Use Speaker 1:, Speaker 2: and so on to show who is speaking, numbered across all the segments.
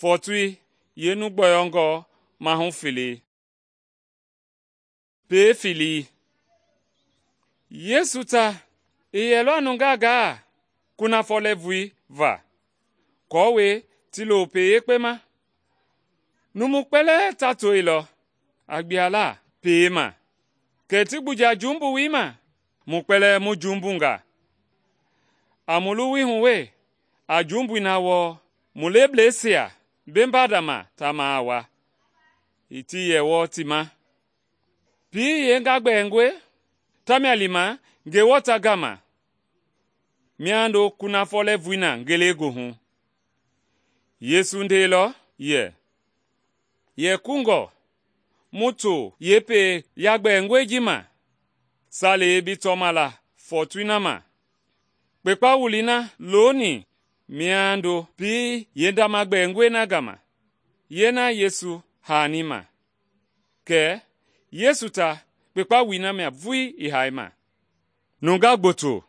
Speaker 1: fɔɔtoi yeenu gbɔyɔngɔ mahu fele. Pee felei. Yesu ta i yɛlɔ nungaa gaa kunafɔ lɛɛvui va aako ti lo pee yekpe ma. Numu kpɛlɛɛ ta toilɔ a gbiala pee ma, kɛ ti gbuja jumbui ma, mu kpɛlɛɛ mu jumbunga. A mu luwui hu we a jumbui na wɔɔ mu lebleisia bembadama ta maa wa, ii ti yɛ wɔɔ ti ma. Pii yeenga gbɛɛngɔe tamia lima Ngewɔ ta gama miando kunafɔ lɛɛvui na ngelegoohu. Yesu ndeilɔ yɛ kungɔ mu to yeepee yagbɛɛngɔe ji ma salei bi tɔma la fɔɔtoi na ma. Kpekpa wulii na looni miando pii yeendama gbɛɛngɔe na gama yeena Yesu haani ma. Kɛ Yesu ta kpekpa wulii na mia vulii i haima. Nungaa gboto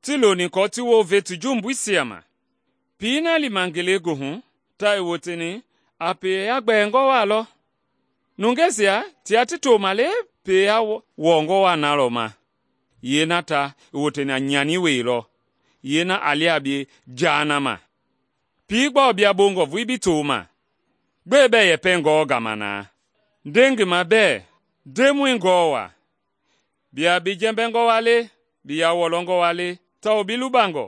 Speaker 1: ti loni aako ti wounve ti jumbuisia ma. Pii na lima ngelegoohu ta i woteni a pee yagbɛɛngɔ waa lɔ. Nungeisia tia ti toma le pee wɔɔngɔ waa na lɔ ma. Yeena ta i woteni a nyani wei lɔ, yeena a lia a bie jaa na ma. Pii gbɔɔ bia bongɔ vulii bi toma? Gbɛe bɛɛ yɛpɛ ngɔɔ gama na? Nde ngi ma bɛɛ, Ndemɔi ngɔɔ wa? Bia bi jɛmbɛngɔ wa le, bi ya wɔlɔngɔ wa le, tawao bi lubangɔ.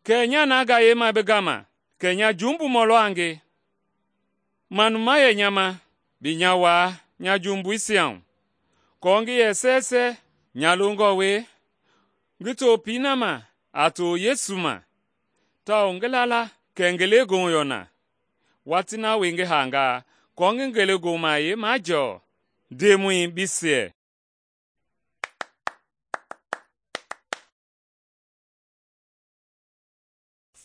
Speaker 1: Kɛɛ nya na gayema bi gama, kɛ nya jumbumɔ lɔ a nge. Manuma yɛ nya ma, bi nya waa nya jumbuisia hu, aako ngi yɛ sɛɛsɛ nya longɔ we ngi to pii na ma a to Yesu ma, tawao ngi la la kɛ ngelegoohu yɔ na. Watii na wie ngi haangaa aako ngi ngelegoohu mahayɛi majɔɔ. Ndemɔi, bi siɛ.